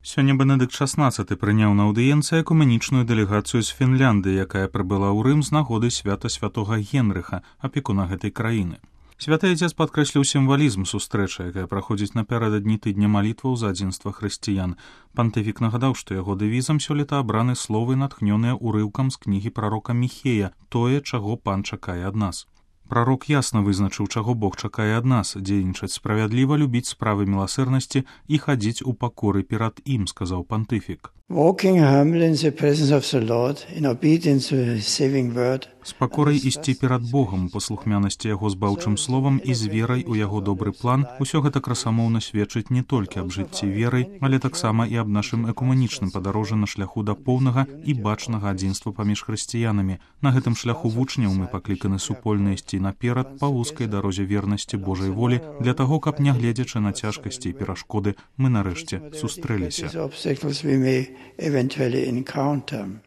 Сёння Бенедыкт XVI прыняў на аўдыенцыі экумэнічную дэлегацыю з Фінляндыі, якая прыбыла ў Рым з нагоды свята святога Генрыха, апекуна гэтай краіны. Святы Адзец падкрэсліў сімвалізм сустрэчы, якая праходзіць напярэдадні тыдня малітваў за адзінства хрысціян. Пантыфік нагадаў, што яго дэвізам сёлета абраны словы, натхнёныя ўрыўкам з кнігі прарока Міхея «Тое, чаго Пан чакае ад нас». Прарок ясна вызначыў, чаго Бог чакае ад нас, дзейнічаць справядліва, любіць справы міласэрнасці і хадзіць у пакоры перад ім, сказаў пантыфік. Walking humbly in the presence of the Lord, in obedience to His saving word. З пакорай ісці перад Богам, у паслухмянасці яго збаўчым словам і з верай у яго добры план, усё гэта красамоўна сведчыць не толькі аб жыцці верай, але таксама і аб нашым экумэнічным падарожжы на шляху да поўнага і бачнага адзінства паміж хрысціянамі. На гэтым шляху вучняў мы пакліканы супольна ісці наперад па вузкай дарозе вернасці Божай волі, для таго, каб, нягледзячы на цяжкасці і перашкоды, мы нарэшце сустрэліся.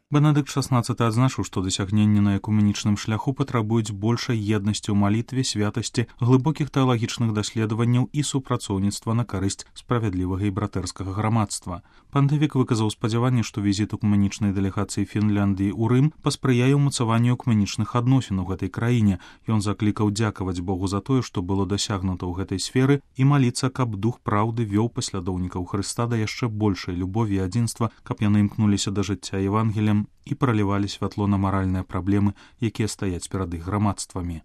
Бенедыкт XVI адзначыў, што дасягненні на экумэнічным шляху патрабуюць большай еднасці ў малітве, святасці, глыбокіх тэалагічных даследаванняў і супрацоўніцтва на карысць справядлівага і братэрскага грамадства. Пантыфік выказаў спадзяванне, што візіт экумэнічнай дэлегацыі Фінляндыі ў Рым паспрыяе ўмацаванню экумэнічных адносін у гэтай краіне. Ён заклікаў дзякаваць Богу за тое, што было дасягнута ў гэтай сферы, і маліцца, каб дух праўды вёў паслядоўнікаў Хрыста да яшчэ большай любові і адзінства, каб яны імкнуліся да жыцця Евангеліем і пралівалі святло на маральныя праблемы, якія стаяць перад іх грамадствамі.